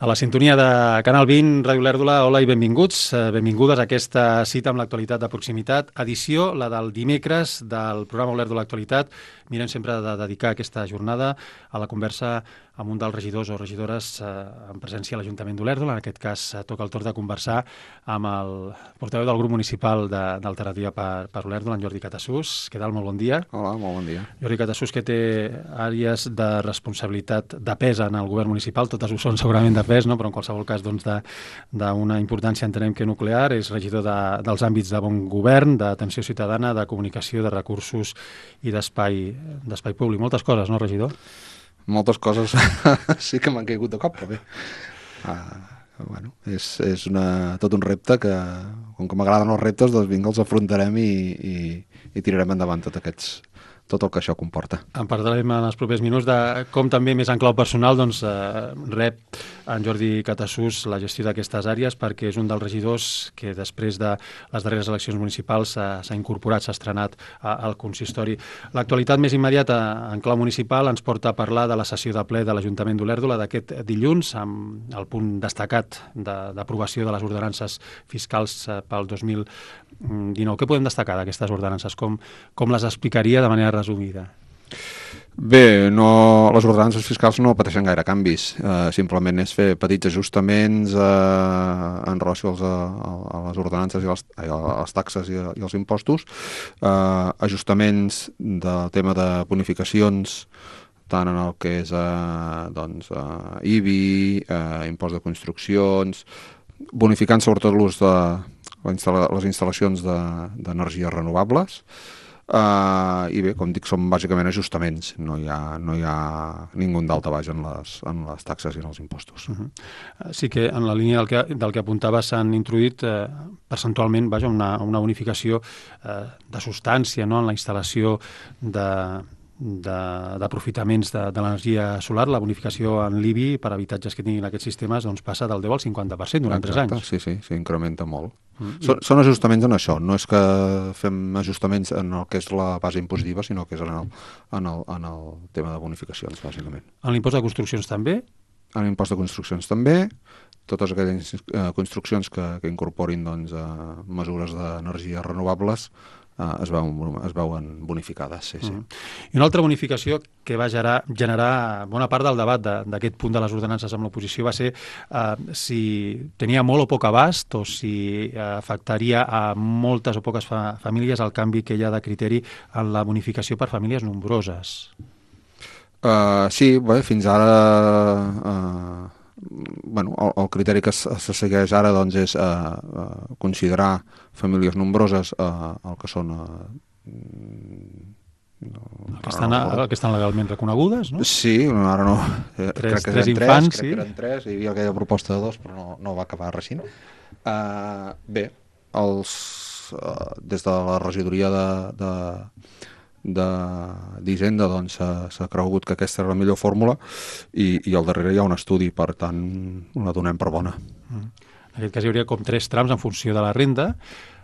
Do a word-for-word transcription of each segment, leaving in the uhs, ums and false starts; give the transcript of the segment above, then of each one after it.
A la sintonia de Canal vint, Ràdio Olèrdola, hola i benvinguts, benvingudes a aquesta cita amb l'actualitat de proximitat, edició, la del dimecres del programa Olèrdola Actualitat. Mirem sempre de dedicar aquesta jornada a la conversa amb un dels regidors o regidores eh, en presència a l'Ajuntament d'Olèrdola. En aquest cas eh, toca el torn de conversar amb el portaveu del grup municipal de, d'Alternativa per, per Olèrdola, en Jordi Catassús. Què tal? Molt bon dia. Hola, molt bon dia. Jordi Catassús, que té àrees de responsabilitat de pes en el govern municipal, totes ho són segurament de pes, no? Però en qualsevol cas doncs, de, d'una importància entenem que nuclear, és regidor de, dels àmbits de bon govern, d'atenció ciutadana, de comunicació, de recursos i d'espai d'espai públic. Moltes coses, no, regidor? Moltes coses sí que m'han caigut de cop, però bé. Uh, bueno, és, és una, tot un repte que, com que m'agraden els reptes, doncs vinga, els afrontarem i, i, i tirarem endavant tot aquests tot el que això comporta. En parlarem en els propers minuts de com també més en clau personal doncs, eh, rep en Jordi Catassús la gestió d'aquestes àrees, perquè és un dels regidors que després de les darreres eleccions municipals s'ha, s'ha incorporat, s'ha estrenat a, al consistori. L'actualitat més immediata en clau municipal ens porta a parlar de la sessió de ple de l'Ajuntament d'Olèrdola d'aquest dilluns, amb el punt destacat de, d'aprovació de les ordenances fiscals eh, pel dos mil dinou. Què podem destacar d'aquestes ordenances? Com, com les explicaria de manera resumida? Bé, no, les ordenances fiscals no pateixen gaire canvis, eh, simplement és fer petits ajustaments eh, en relació als, a, a les ordenances i les, a les taxes i, a, i els impostos, eh, ajustaments del tema de bonificacions tant en el que és eh, doncs, eh, I B I, eh, impost de construccions, bonificant sobretot l'ús de les instal·lacions de, d'energies renovables. Uh, i bé, com dic, són bàsicament ajustaments, no hi ha, no hi ha ningú daltabaix en les, en les taxes i en els impostos. Uh-huh. Sí que en la línia del que, del que apuntava s'han introduït eh, percentualment vaja, una, una bonificació eh, de substància, no?, en la instal·lació de d'aprofitaments de, de l'energia solar. La bonificació en l'I B I per habitatges que tinguin aquests sistemes doncs passa del deu al cinquanta per cent durant tres anys. Sí, sí, s'incrementa molt. Mm. Són, són ajustaments en això, no és que fem ajustaments en el que és la base impositiva, sinó que és en el, en el, en el tema de bonificacions, bàsicament. En l'impost de construccions també? En l'impost de construccions també, totes aquelles eh, construccions que, que incorporin doncs, eh, mesures d'energies renovables Es veuen, es veuen bonificades, sí, sí. Mm. I una altra bonificació que va generar, generar bona part del debat de, d'aquest punt de les ordenances amb l'oposició va ser eh, si tenia molt o poc abast o si eh, afectaria a moltes o poques fa, famílies el canvi que hi ha de criteri en la bonificació per famílies nombroses. Uh, sí, bé, fins ara... Uh, bueno, el, el criteri que se, se segueix ara doncs, és uh, uh, considerar famílies nombroses uh, el que són uh, no, el, que estan, no, el que estan legalment reconegudes, no? Sí, ara no. Tres, crec que tres eren infants, tres, sí. Crec que eren tres, hi havia aquella proposta de dos, però no, no va acabar reixint. Uh, bé, els, uh, des de la regidoria de... de d'Hisenda doncs s'ha, s'ha cregut que aquesta era la millor fórmula i, i al darrere hi ha un estudi, per tant la donem per bona. Mm. En aquest cas hi hauria com tres trams en funció de la renda.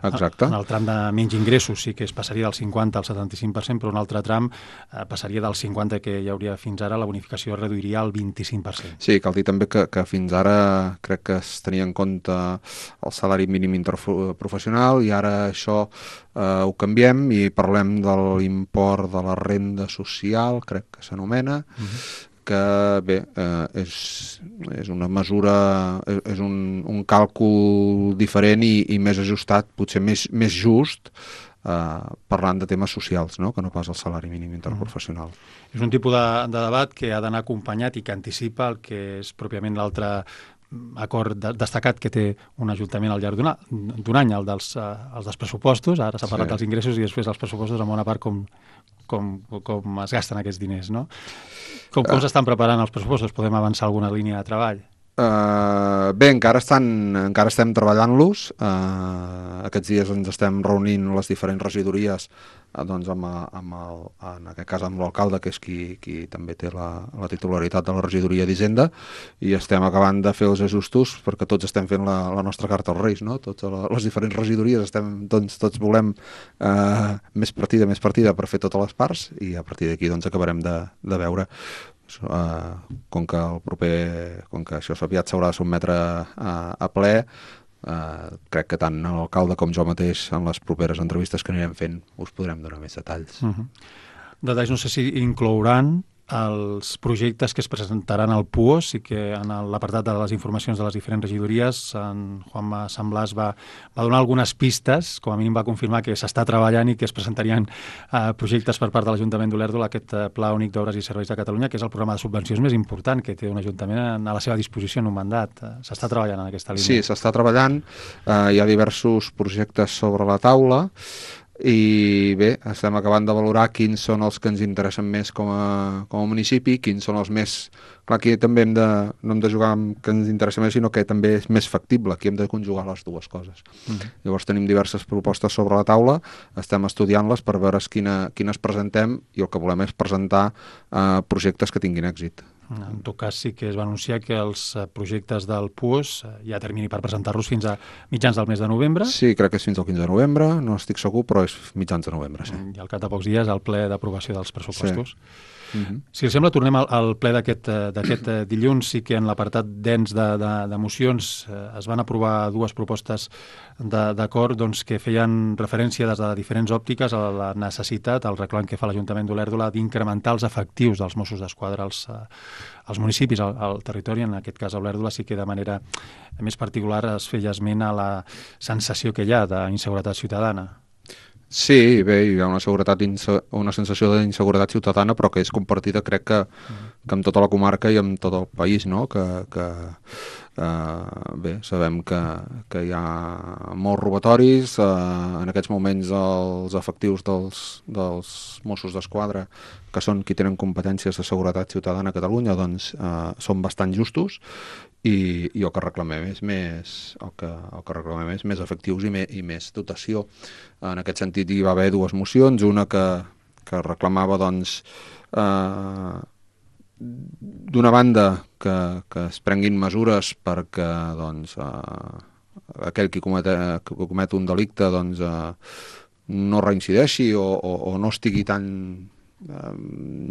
Exacte. En el tram de menys ingressos sí que es passaria del cinquanta al setanta-cinc per cent, però un altre tram eh, passaria del cinquanta que hi hauria fins ara, la bonificació es reduiria al vint-i-cinc per cent. Sí, cal dir també que, que fins ara crec que es tenia en compte el salari mínim interprofessional i ara això eh, ho canviem i parlem de l'import de la renda social, crec que s'anomena, uh-huh. que bé, eh, és, és una mesura, és, és un, un càlcul diferent i, i més ajustat, potser més, més just, eh, parlant de temes socials, no?, que no pas el salari mínim interprofessional. Mm. És un tipus de, de debat que ha d'anar acompanyat i que anticipa el que és pròpiament l'altre acord de, destacat que té un ajuntament al llarg d'un, d'un any, el dels, uh, els dels pressupostos. Ara s'ha parlat sí. dels ingressos i després dels pressupostos, en bona part com, com, com es gasten aquests diners, no? Com, com uh, s'estan preparant els pressupostos? Podem avançar alguna línia de treball? Uh, bé, encara, estan, encara estem treballant-los. Uh, aquests dies ens estem reunint les diferents regidories uh, doncs amb, amb el, en aquest cas amb l'alcalde, que és qui, qui també té la, la titularitat de la regidoria d'Hisenda, i estem acabant de fer els ajustos perquè tots estem fent la, la nostra carta als Reis, no? Tots les diferents regidories estem, doncs, tots volem uh, més partida, més partida per fer totes les parts, i a partir d'aquí doncs, acabarem de, de veure. uh, com que el proper, com que això aviat s'haurà de sotmetre a, a ple, uh, crec que tant l'alcalde com jo mateix en les properes entrevistes que anirem fent us podrem donar més detalls. Uh -huh. Detalls, no sé si inclouran els projectes que es presentaran al P U O S i que en l'apartat de les informacions de les diferents regidories en Juanma Sant Blas va, va donar algunes pistes, com a mínim va confirmar que s'està treballant i que es presentarien eh, projectes per part de l'Ajuntament d'Olèrdola, aquest eh, Pla Únic d'Obres i Serveis de Catalunya, que és el programa de subvencions més important que té un ajuntament a la seva disposició en un mandat. Eh, s'està treballant en aquesta línia. Sí, s'està treballant, eh, hi ha diversos projectes sobre la taula, i bé, estem acabant de valorar quins són els que ens interessen més com a, com a municipi, quins són els més... Clar, aquí també hem de, no hem de jugar amb que ens interessa més, sinó que també és més factible, aquí hem de conjugar les dues coses. Uh-huh. Llavors tenim diverses propostes sobre la taula, estem estudiant-les per veure quina, quines presentem, i el que volem és presentar eh, projectes que tinguin èxit. En tot cas, sí que es va anunciar que els projectes del P U O S hi ha termini per presentar-los fins a mitjans del mes de novembre. Sí, crec que és fins al quinze de novembre, no estic segur, però és mitjans de novembre, sí. I al cap de pocs dies, el ple d'aprovació dels pressupostos. Sí. Uh-huh. Si els sembla, tornem al, al ple d'aquest dilluns. Sí que en l'apartat dens de, de, de mocions eh, es van aprovar dues propostes d'acord doncs, que feien referència des de diferents òptiques a la necessitat, al reclam que fa l'Ajuntament d'Olèrdola d'incrementar els efectius dels Mossos d'Esquadra als, als municipis, al, al territori. En aquest cas a Olèrdola sí que de manera més particular es feia esment a la sensació que hi ha d'inseguretat ciutadana. Sí, bé, hi ha una, seguretat una sensació d'inseguretat ciutadana, però que és compartida, crec que, que amb tota la comarca i amb tot el país, no? Que, que uh, bé, sabem que, que hi ha molts robatoris, uh, en aquests moments els efectius dels, dels Mossos d'Esquadra, que són qui tenen competències de seguretat ciutadana a Catalunya, doncs uh, són bastant justos, i, i el que reclamem és més, el que, el que reclamem és més efectius i, me, i més dotació. En aquest sentit hi va haver dues mocions, una que, que reclamava doncs eh, d'una banda que, que es prenguin mesures perquè doncs, eh, aquell qui comet, que comet un delicte doncs, eh, no reincideixi o, o, o no estigui tan eh,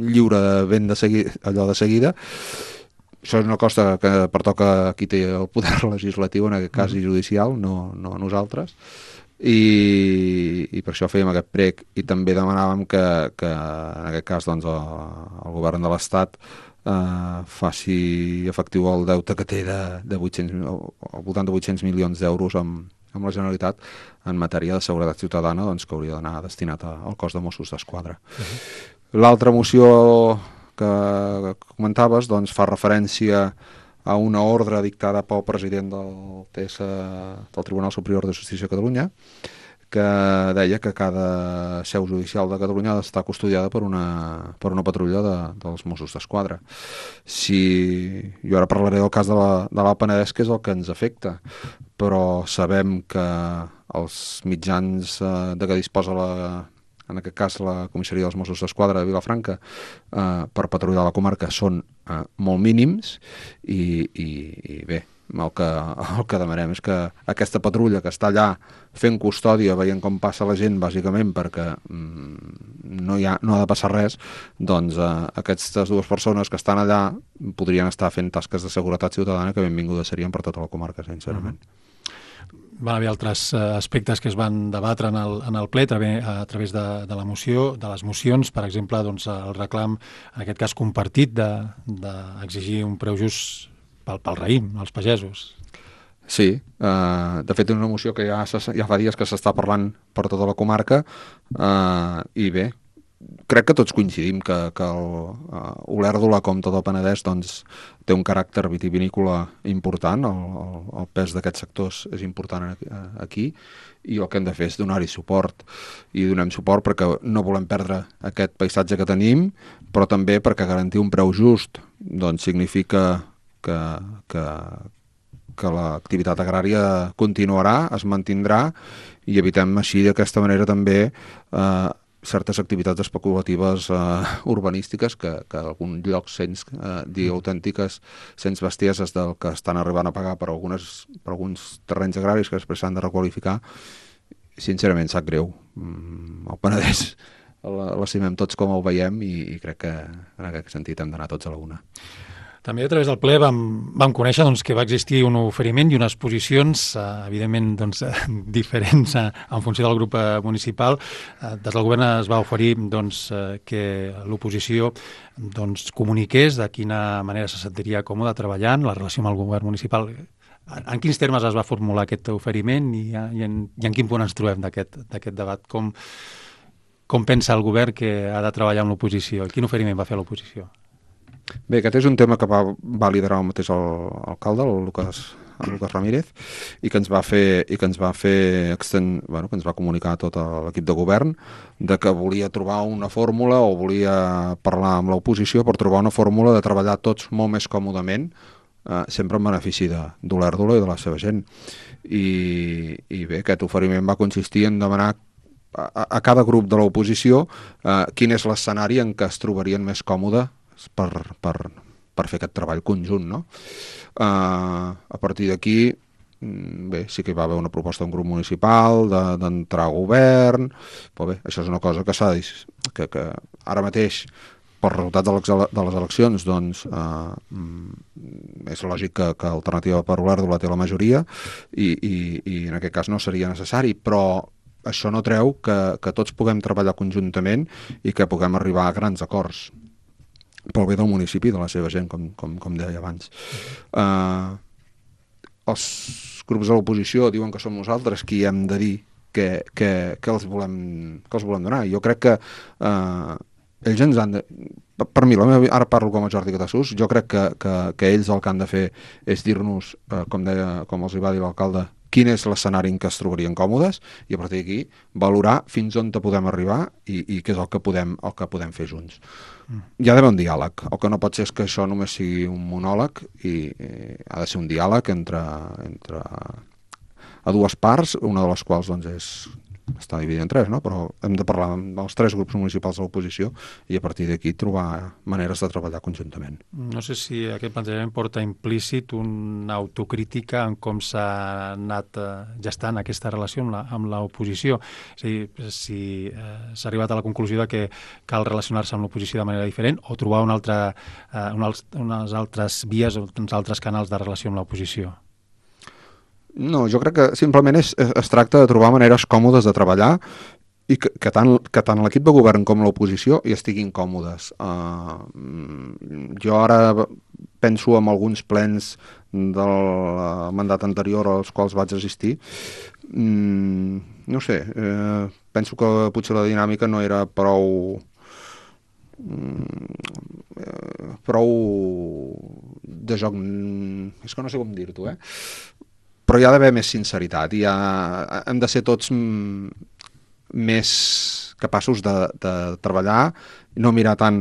lliure de ben de seguida, allò de seguida. Això és una cosa que pertoca a qui té el poder legislatiu, en aquest cas i judicial, no, no a nosaltres, i, i per això fèiem aquest prec, i també demanàvem que, que en aquest cas doncs, el, el govern de l'Estat eh, faci efectiu el deute que té de, de vuit-cents, al voltant de vuit-cents milions d'euros amb, amb la Generalitat en matèria de seguretat ciutadana, doncs, que hauria d'anar destinat al cos de Mossos d'Esquadra. Uh-huh. L'altra moció que comentaves doncs, fa referència a una ordre dictada pel president del T S, del Tribunal Superior de Justícia de Catalunya, que deia que cada seu judicial de Catalunya ha d'estar custodiada per una, per una patrulla de, dels Mossos d'Esquadra. Si, jo ara parlaré del cas de la, de l'Alt Penedès, que és el que ens afecta, però sabem que els mitjans eh, de què disposa la en aquest cas la comissaria dels Mossos d'Esquadra de Vilafranca, eh, per patrullar la comarca són eh, molt mínims i, i, i bé, el que, el que demanem és que aquesta patrulla que està allà fent custòdia, veient com passa la gent, bàsicament perquè mm, no, hi ha, no ha de passar res, doncs eh, aquestes dues persones que estan allà podrien estar fent tasques de seguretat ciutadana que benvingudes serien per tota la comarca, sincerament. Uh-huh. Van haver altres aspectes que es van debatre en el, en el ple a través de, de la moció, de les mocions, per exemple, doncs, el reclam, en aquest cas compartit, d'exigir de, de un preu just pel, pel raïm, als pagesos. Sí, eh, de fet és una moció que ja, ja fa dies que s'està parlant per tota la comarca eh, i bé, crec que tots coincidim que, que el, uh, Olèrdola, com tot el Penedès, doncs, té un caràcter vitivinícola important, el, el, el pes d'aquests sectors és important aquí, i el que hem de fer és donar-hi suport, i donem suport perquè no volem perdre aquest paisatge que tenim, però també perquè garantir un preu just doncs, significa que, que, que l'activitat agrària continuarà, es mantindrà, i evitem així d'aquesta manera també eh, certes activitats especulatives eh, urbanístiques que, que en algun lloc sents eh, dir autèntiques, sents bestieses del que estan arribant a pagar per, algunes, per alguns terrenys agraris que després s'han de requalificar. Sincerament, sap greu. Mm, el Penedès l'estimem tots com el veiem i, i crec que en aquest sentit hem d'anar tots a la una. També a través del ple vam, vam conèixer doncs, que va existir un oferiment i unes posicions, eh, evidentment, doncs, eh, diferents eh, en funció del grup eh, municipal. Eh, des del govern es va oferir doncs, eh, que l'oposició doncs, comuniqués de quina manera se sentiria còmode treballant, la relació amb el govern municipal. En, en quins termes es va formular aquest oferiment i, i, en, i en quin punt ens trobem d'aquest d'aquest debat? Com, com pensa el govern que ha de treballar amb l'oposició? Quin oferiment va fer l'oposició? Bé, aquest és un tema que va, va liderar el mateix el, alcalde, el Lucas, el Lucas Ramírez, i que ens va fer, i que ens va fer exten, bueno, que ens va comunicar a tot l'equip de govern de que volia trobar una fórmula o volia parlar amb l'oposició per trobar una fórmula de treballar tots molt més còmodament, eh, sempre en benefici d'Olèrdola i de la seva gent. I, i bé, aquest oferiment va consistir en demanar a, a cada grup de l'oposició eh, quin és l'escenari en què es trobarien més còmode per, per, per fer aquest treball conjunt, no? Uh, a partir d'aquí, bé, sí que hi va haver una proposta d'un grup municipal d'entrar a govern, però bé, això és una cosa que s'ha de dir, que, que ara mateix, pel resultat de, de les eleccions, doncs, uh, és lògic que, que Alternativa per Olèrdola té la majoria i, i, i en aquest cas no seria necessari, però això no treu que, que tots puguem treballar conjuntament i que puguem arribar a grans acords pel bé del municipi i de la seva gent, com, com, com deia abans. Uh, els grups de l'oposició diuen que som nosaltres qui hem de dir que, que, que, els, volem, que els volem donar. Jo crec que uh, ells ens han de... Per mi, la meva, ara parlo com a Jordi Catassús, jo crec que, que, que ells el que han de fer és dir-nos, uh, com, deia, com els hi va dir l'alcalde, quin és l'escenari en què es trobarien còmodes i a partir d'aquí valorar fins on te podem arribar i, i què és el que podem, el que podem fer junts. Mm. Hi ha d'haver un diàleg. El que no pot ser és que això només sigui un monòleg i, i ha de ser un diàleg entre, entre a dues parts, una de les quals doncs, és està dividit en tres, no? Però hem de parlar amb els tres grups municipals de l'oposició i a partir d'aquí trobar maneres de treballar conjuntament. No sé si aquest plantejament porta implícit una autocrítica en com s'ha anat gestant aquesta relació amb l'oposició. És a dir, si eh, s'ha arribat a la conclusió de que cal relacionar-se amb l'oposició de manera diferent o trobar una altra, eh, una, unes altres vies o uns altres canals de relació amb l'oposició. No, jo crec que simplement és, es tracta de trobar maneres còmodes de treballar i que, que tant, que tant l'equip de govern com l'oposició hi estiguin còmodes. Uh, jo ara penso en alguns plens del mandat anterior als quals vaig assistir. Mm, no sé, eh, penso que potser la dinàmica no era prou... Mm, prou de joc... És que no sé com dir-t'ho, eh? Però hi ha d'haver més sinceritat i ha, hem de ser tots m, més capaços de, de treballar i no mirar tant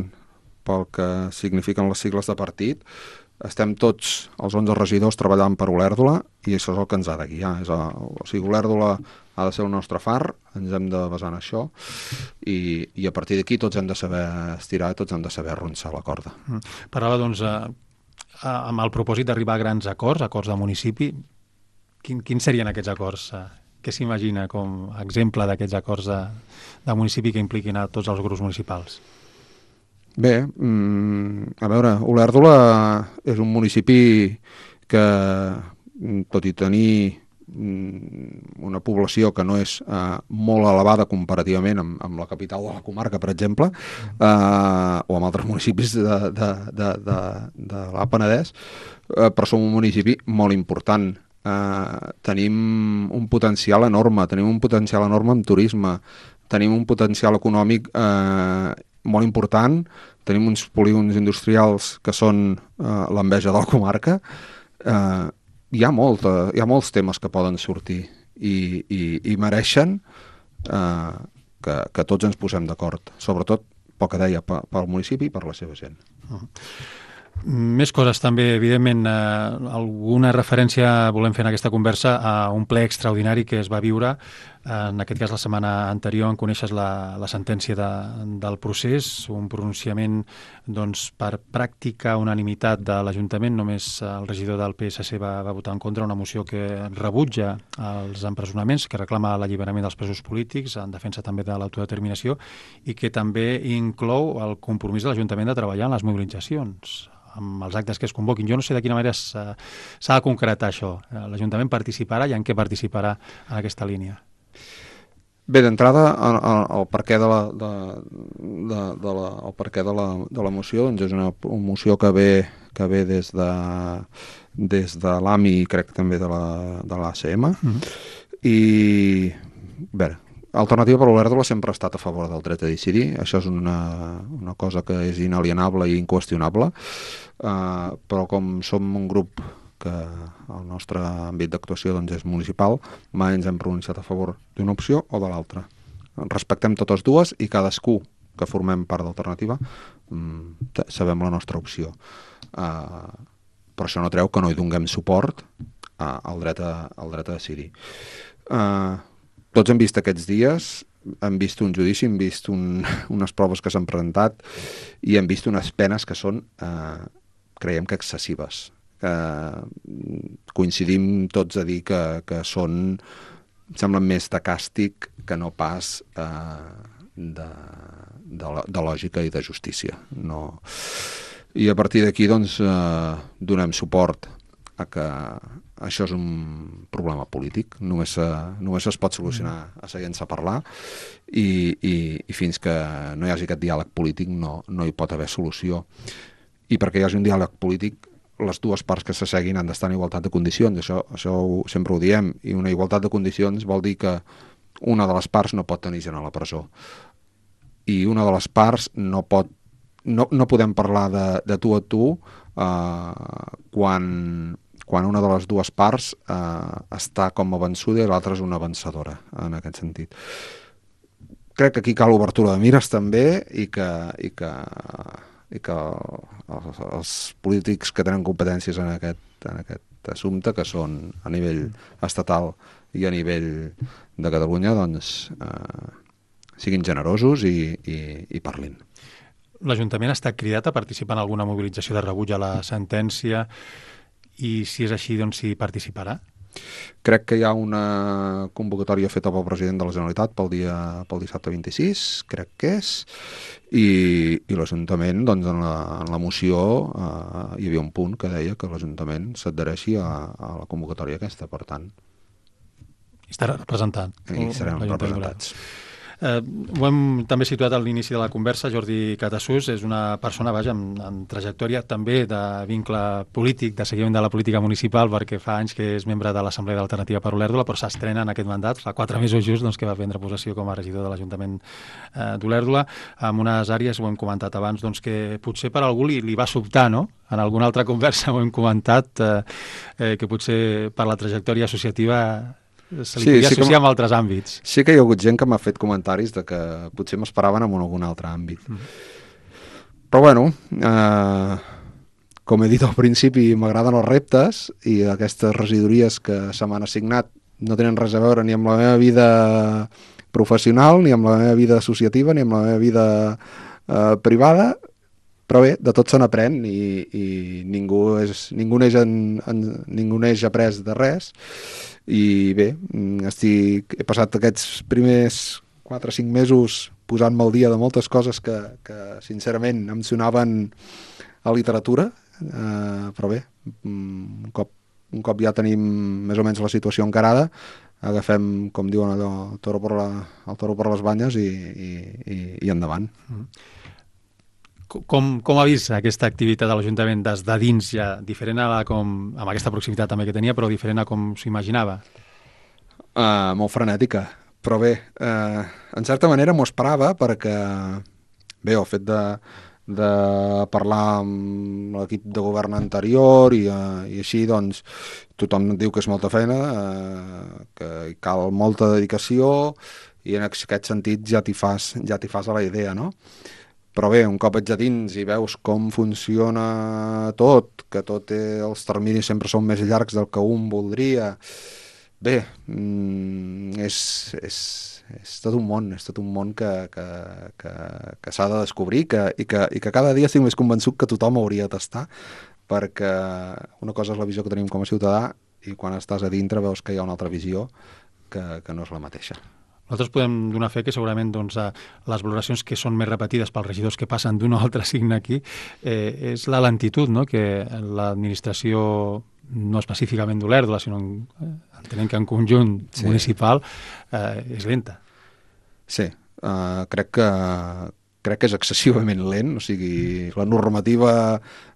pel que signifiquen les sigles de partit. Estem tots, els onze regidors, treballant per Olèrdola i això és el que ens ha de guiar. És el, o sigui, Olèrdola ha de ser el nostre far, ens hem de basar en això i, i a partir d'aquí tots hem de saber estirar i tots hem de saber arronsar la corda. Mm. Parlava, doncs, eh, amb el propòsit d'arribar a grans acords, acords de municipi. Quin, quins serien aquests acords? Què s'imagina com a exemple d'aquests acords de, de municipi que impliquin a tots els grups municipals? Bé, mm, a veure, Olèrdola és un municipi que, tot i tenir mm, una població que no és eh, molt elevada comparativament amb, amb la capital de la comarca, per exemple, eh, o amb altres municipis de, de, de, de, de l'Alt Penedès, eh, però som un municipi molt important. Uh, tenim un potencial enorme, tenim un potencial enorme en turisme, tenim un potencial econòmic uh, molt important, tenim uns polígons industrials que són uh, l'enveja de la comarca. Uh, hi ha molta, hi ha molts temes que poden sortir i, i, i mereixen uh, que, que tots ens posem d'acord, sobretot pel que deia, pel municipi i per la seva gent. Uh-huh. Més coses també, evidentment, eh, alguna referència volem fer en aquesta conversa a un ple extraordinari que es va viure En aquest cas, la setmana anterior en coneixes la, la sentència de, del procés, un pronunciament doncs, per pràctica unanimitat de l'Ajuntament. Només el regidor del P S C va, va votar en contra una moció que rebutja els empresonaments, que reclama l'alliberament dels presos polítics, en defensa també de l'autodeterminació, i que també inclou el compromís de l'Ajuntament de treballar en les mobilitzacions, amb els actes que es convoquin. Jo no sé de quina manera s'ha de concretar això. L'Ajuntament participarà i en què participarà en aquesta línia? Bé, d'entrada, el, el, el perquè de la, de, de, de la, el perquè de la, de la moció doncs és una, una moció que ve, que ve des de, des de l'A M I i crec també de la, de l'A C M. Mm-hmm. I, a veure, Alternativa per Olèrdola sempre ha estat a favor del dret a decidir. Això és una, una cosa que és inalienable i inqüestionable, uh, però com som un grup que el nostre àmbit d'actuació doncs, és municipal, mai ens hem pronunciat a favor d'una opció o de l'altra. Respectem totes dues i cadascú que formem part d'Alternativa mm, sabem la nostra opció. Uh, però això no treu que no hi donem suport uh, al, dret a, al dret a decidir. Uh, tots hem vist aquests dies, hem vist un judici, hem vist un, unes proves que s'han presentat i hem vist unes penes que són, uh, creiem que excessives. Que coincidim tots a dir que, que són, semblen més de càstig que no pas eh, de, de, de lògica i de justícia. No. I a partir d'aquí doncs, eh, donem suport a que això és un problema polític, només, eh, només es pot solucionar asseient-se a parlar i, i, i fins que no hi hagi aquest diàleg polític no, no hi pot haver solució. I perquè hi hagi un diàleg polític les dues parts que s'asseguin han d'estar en igualtat de condicions, això, això ho, sempre ho diem, i una igualtat de condicions vol dir que una de les parts no pot tenir gent a la presó i una de les parts no pot no, no podem parlar de, de tu a tu eh, quan, quan una de les dues parts eh, està com a vençuda i l'altra és una vencedora, en aquest sentit. Crec que aquí cal obertura de mires també i que, i que i que els, els polítics que tenen competències en aquest, en aquest assumpte, que són a nivell estatal i a nivell de Catalunya, doncs eh, siguin generosos i, i, i parlin. L'Ajuntament ha estat cridat a participar en alguna mobilització de rebuig a la sentència i si és així, doncs si participarà? Crec que hi ha una convocatòria feta pel president de la Generalitat pel dia pel dissabte vint-i-sis, crec que és, i, i l'Ajuntament, doncs en la, en la moció eh, hi havia un punt que deia que l'Ajuntament s'adhereixi a, a la convocatòria aquesta, per tant. I estarà representant. I serem representats. Eh, ho hem també situat a l'inici de la conversa. Jordi Catasús és una persona, vaja, amb, amb trajectòria també de vincle polític, de seguiment de la política municipal, perquè fa anys que és membre de l'Assemblea d'Alternativa per Olèrdola, però s'estrena en aquest mandat, fa quatre mesos just doncs, que va prendre possessió com a regidor de l'Ajuntament eh, d'Olèrdola, amb unes àrees, ho hem comentat abans, doncs, que potser per algú li, li va sobtar, no? En alguna altra conversa ho hem comentat, eh, eh, que potser per la trajectòria associativa se li sí, podia sí associar amb altres àmbits. Sí que hi ha hagut gent que m'ha fet comentaris de que potser m'esperaven en algun altre àmbit. Mm. Però bueno, eh, com he dit al principi, m'agraden els reptes i aquestes regidories que se m'han assignat no tenen res a veure ni amb la meva vida professional, ni amb la meva vida associativa, ni amb la meva vida eh, privada, però bé, de tot se n'aprèn i, i ningú, és, ningú, neix en, en, ningú neix après de res. I bé, estic, he passat aquests primers quatre o cinc mesos posant-me al dia de moltes coses que, que sincerament em sonaven a literatura, eh, però bé, un cop, un cop ja tenim més o menys la situació encarada, agafem, com diuen allò, el toro per, la, el toro per les banyes i, i, i, i endavant. Mm. Com, com ha vist aquesta activitat de l'Ajuntament des de dins ja, diferent a la com, amb aquesta proximitat també que tenia, però diferent a com s'ho imaginava? Uh, molt frenètica, però bé, uh, en certa manera m'ho esperava perquè, bé, el fet de, de parlar amb l'equip de govern anterior i, uh, i així, doncs, tothom diu que és molta feina, uh, que hi cal molta dedicació i en aquest sentit ja t'hi fas, ja t'hi fas a la idea, no? Però bé, un cop ets a dins i veus com funciona tot, que tot té, els terminis sempre són més llargs del que un voldria, Bé, mm, és, és, és tot un món, és tot un món que, que, que, que s'ha de descobrir que, i, que, i que cada dia estic més convençut que tothom hauria de tastar, perquè una cosa és la visió que tenim com a ciutadà i quan estàs a dintre veus que hi ha una altra visió que, que no és la mateixa. Nosaltres podem donar fe que segurament doncs, les valoracions que són més repetides pels regidors que passen d'un o altre signe aquí eh, és la lentitud, no? Que l'administració, no específicament d'Olèrdola, sinó en, entenent que en conjunt sí. municipal, eh, és lenta. Sí, uh, crec que crec que és excessivament lent, o sigui, la normativa,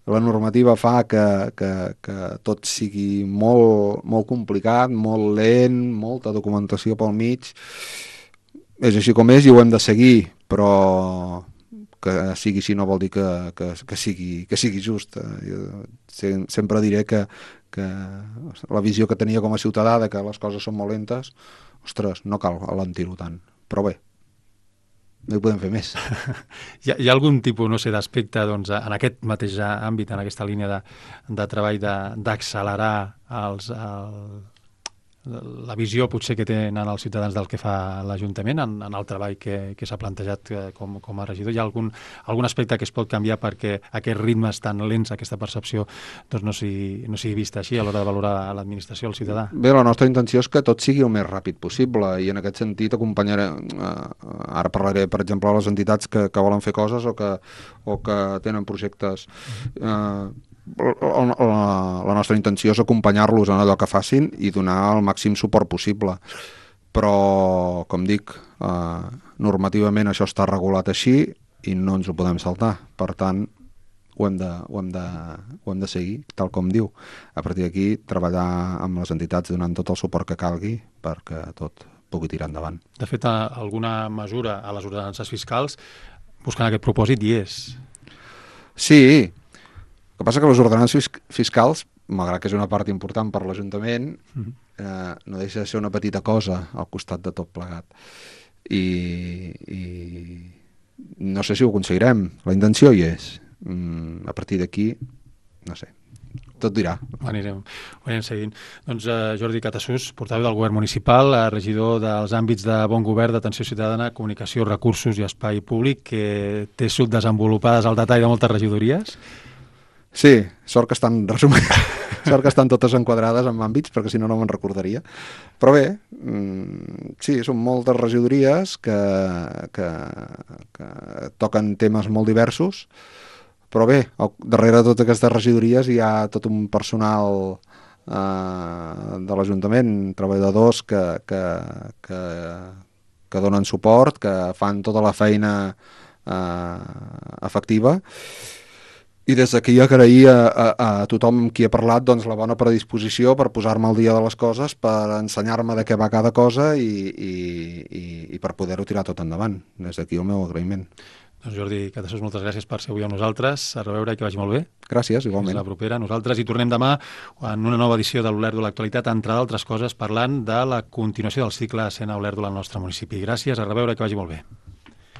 la normativa fa que, que, que tot sigui molt, molt complicat, molt lent, molta documentació pel mig. És així com és i ho hem de seguir, però que sigui així no vol dir que, que, que, sigui, que sigui just. Jo sempre diré que, que la visió que tenia com a ciutadà de que les coses són molt lentes, ostres, no cal alentir-ho tant, però bé, no hi podem fer més. Hi ha, hi ha algun tipus, no sé, d'aspecte doncs, en aquest mateix àmbit, en aquesta línia de, de treball, d'accelerar els, el, la visió potser que tenen els ciutadans del que fa l'Ajuntament en, en el treball que, que s'ha plantejat com, com a regidor? Hi ha algun, algun aspecte que es pot canviar perquè aquests ritmes tan lents, aquesta percepció, doncs no sigui, no sigui vista així a l'hora de valorar l'administració, el ciutadà? Bé, la nostra intenció és que tot sigui el més ràpid possible i en aquest sentit acompanyaré, eh, ara parlaré per exemple a les entitats que, que volen fer coses o que, o que tenen projectes. Eh, La, la, la nostra intenció és acompanyar-los en allò que facin i donar el màxim suport possible, però com dic, eh, normativament això està regulat així i no ens ho podem saltar, per tant ho hem de, ho hem de, ho hem de seguir tal com diu. A partir d'aquí treballar amb les entitats donant tot el suport que calgui perquè tot pugui tirar endavant. De fet, alguna mesura a les ordenances fiscals buscant aquest propòsit hi és. Sí. El que passa que les ordenances fiscals, malgrat que és una part important per l'Ajuntament, uh-huh. eh, no deixa de ser una petita cosa al costat de tot plegat. I, i no sé si ho aconseguirem. La intenció hi és. Mm, a partir d'aquí, no sé, tot dirà. Ho anirem, ho anirem seguint. Doncs uh, Jordi Catasús, portaveu del Govern Municipal, uh, regidor dels àmbits de bon govern, d'atenció ciutadana, comunicació, recursos i espai públic, que té subdesenvolupades al detall de moltes regidories. Sí, sort que estan resumint, sort que estan totes enquadrades en àmbits, perquè si no, no me'n recordaria. Però bé, mmm, sí, són moltes regidories que, que, que toquen temes molt diversos, però bé, al, darrere de totes aquestes regidories hi ha tot un personal eh, de l'Ajuntament, treballadors que, que, que, que donen suport, que fan tota la feina eh, efectiva. I des d'aquí agrair a, a, a tothom qui ha parlat doncs, la bona predisposició per posar-me al dia de les coses, per ensenyar-me de què va cada cosa i, i, i, i per poder-ho tirar tot endavant. Des d'aquí el meu agraïment. Doncs Jordi Catasús, moltes gràcies per ser avui amb nosaltres. A reveure i que vagi molt bé. Gràcies, igualment. Fins la propera. Nosaltres hi tornem demà en una nova edició de l'Olèrdola Actualitat, entre d'altres coses, parlant de la continuació del cicle Escena Olèrdola al nostre municipi. Gràcies, a reveure i que vagi molt bé.